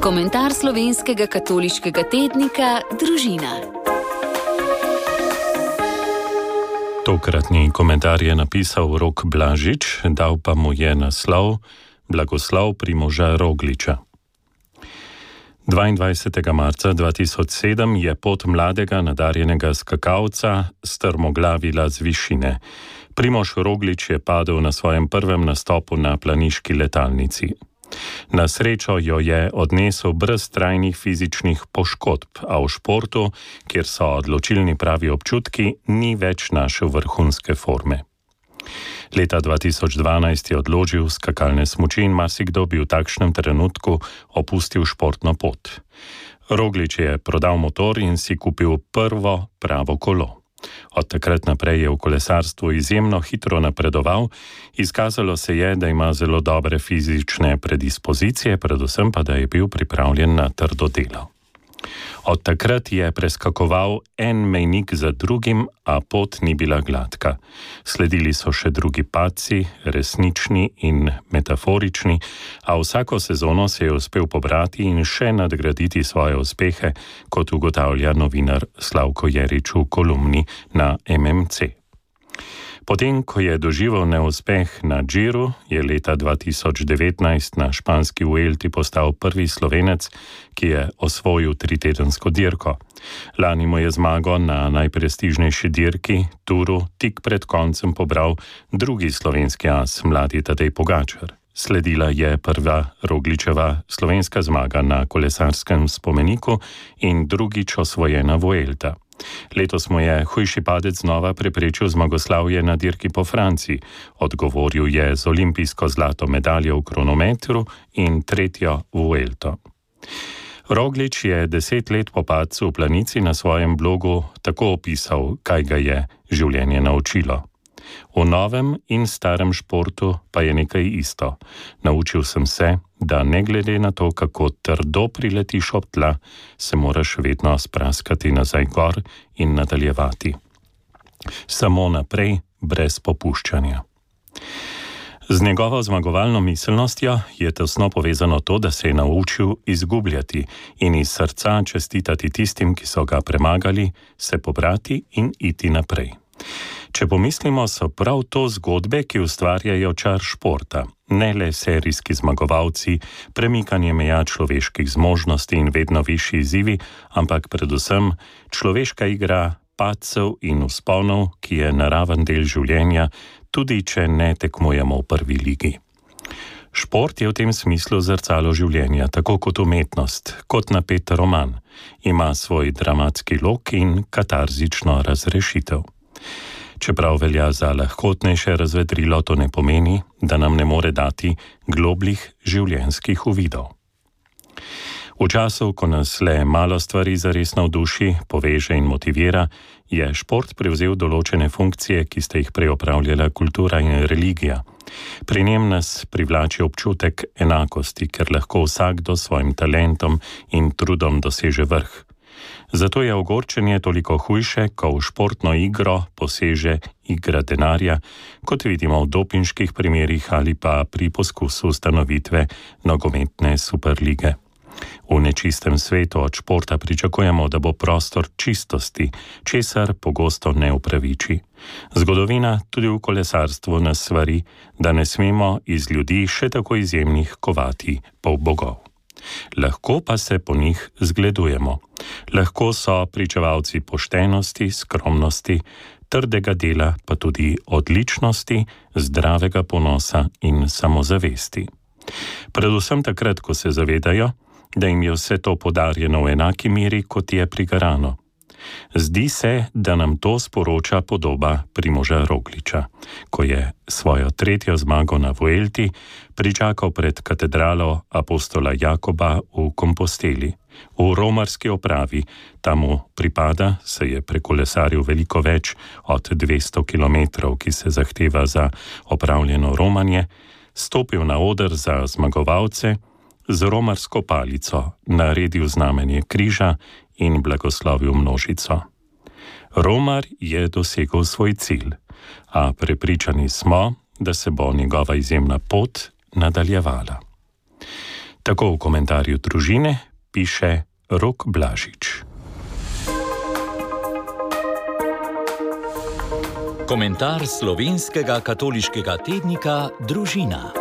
Komentar slovenskega katoliškega tednika Družina. Tokratni komentar je napisal Rok Blažič, dal pa mu je naslov Blagoslov Primoža Rogliča. 22. marca 2007 je pot mladega nadarjenega skakalca strmoglavila z višine. Primož Roglič je padel na svojem prvem nastopu na planiški letalnici. Na srečo jo je odnesel brez trajnih fizičnih poškodb, a v športu, kjer so odločilni pravi občutki, ni več našel vrhunske forme. Leta 2012 je odložil skakalne smuči in marsikdo bi v takšnem trenutku opustil športno pot. Roglič je prodal motor in si kupil prvo pravo kolo. Od takrat naprej je v kolesarstvu izjemno hitro napredoval, izkazalo se je, da ima zelo dobre fizične predispozicije, predvsem pa, da je bil pripravljen na trdo delo. Od takrat je preskakoval en mejnik za drugim, a pot ni bila gladka. Sledili so še drugi padci, resnični in metaforični, a vsako sezono se je uspel pobrati in še nadgraditi svoje uspehe, kot ugotavlja novinar Slavko Jerič v kolumni na MMC. Potem, ko je doživel neuspeh na Džiru, je leta 2019 na španski Vuelti postal prvi Slovenec, ki je osvojil tritedensko dirko. Lani mu je zmago na najprestižnejši dirki, Turu, tik pred koncem pobral drugi slovenski as, mladi Tadej Pogačar. Sledila je prva Rogličeva slovenska zmaga na kolesarskem spomeniku in drugič osvojena Vuelta. Letos mu je hujši padec znova preprečil zmagoslavje na dirki po Franciji. Odgovoril je z olimpijsko zlato medaljo v kronometru in tretjo Vuelto. Roglič je 10 let po padcu v planici na svojem blogu tako opisal, kaj ga je življenje naučilo. V novem in starem športu pa je nekaj isto. Naučil sem se, da ne glede na to, kako trdo priletiš ob tla, se moraš vedno spraskati nazaj gor in nadaljevati. Samo naprej, brez popuščanja. Z njegovo zmagovalno miselnostjo je tesno povezano to, da se je naučil izgubljati in iz srca čestitati tistim, ki so ga premagali, se pobrati in iti naprej. Če pomislimo, so prav to zgodbe, ki ustvarjajo čar športa. Ne le serijski zmagovalci, premikanje meja človeških zmožnosti in vedno višji izzivi, ampak predvsem človeška igra padcev in vzponov, ki je naraven del življenja, tudi če ne tekmujemo v prvi ligi. Šport je v tem smislu zrcalo življenja, tako kot umetnost, kot napet roman. Ima svoj dramatski lok in katarzično razrešitev. Čeprav velja za lahkotnejše razvedrilo, to ne pomeni, da nam ne more dati globljih življenjskih uvidov. V času, ko nas le malo stvari zares navduši, poveže in motivira, je šport prevzel določene funkcije, ki ste jih prej opravljala kultura in religija. Pri njem nas privlači občutek enakosti, ker lahko vsakdo s svojim talentom in trudom doseže vrh. Zato je ogorčenje toliko hujše, ko v športno igro poseže igra denarja, kot vidimo v dopinških primerih ali pa pri poskusu ustanovitve nogometne superlige. V nečistem svetu od športa pričakujemo, da bo prostor čistosti, česar pogosto ne upraviči. Zgodovina tudi v kolesarstvu nas svari, da ne smemo iz ljudi še tako izjemnih kovati polbogov. Lahko pa se po njih zgledujemo. Lahko so pričevalci poštenosti, skromnosti, trdega dela, pa tudi odličnosti, zdravega ponosa in samozavesti. Predvsem takrat, ko se zavedajo, da jim je vse to podarjeno v enaki meri, kot je prigarano. Zdi se, da nam to sporoča podoba Primoža Rogliča, ko je svojo tretjo zmago na Vuelti pričakal pred katedralo apostola Jakoba v Komposteli. V romarski opravi, tam mu pripada, se je prekolesaril veliko več od 200 kilometrov, ki se zahteva za opravljeno romanje, stopil na oder za zmagovalce, z romarsko palico naredil znamenje križa in blagoslovil množico. Romar je dosegel svoj cilj, a prepričani smo, da se bo njegova izjemna pot nadaljevala. Tako v komentarju Družine piše Rok Blažič. Komentar slovenskega katoliškega tednika Družina.